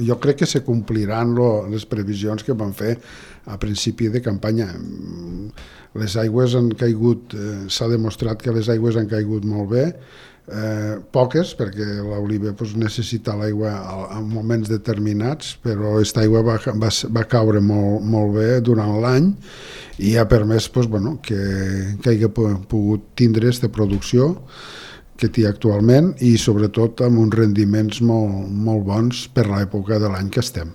Jo crec que se compliran les previsions que van fer a principi de campanya. Les aigües han caigut, s'ha demostrat que les aigües han caigut molt bé, poques, perquè l'oliva necessita l'aigua en moments determinats, però aquesta aigua va caure molt bé durant l'any i ha permès que hagi pogut tindre aquesta producció que té actualment i sobretot amb uns rendiments molt bons per l'època de l'any que estem.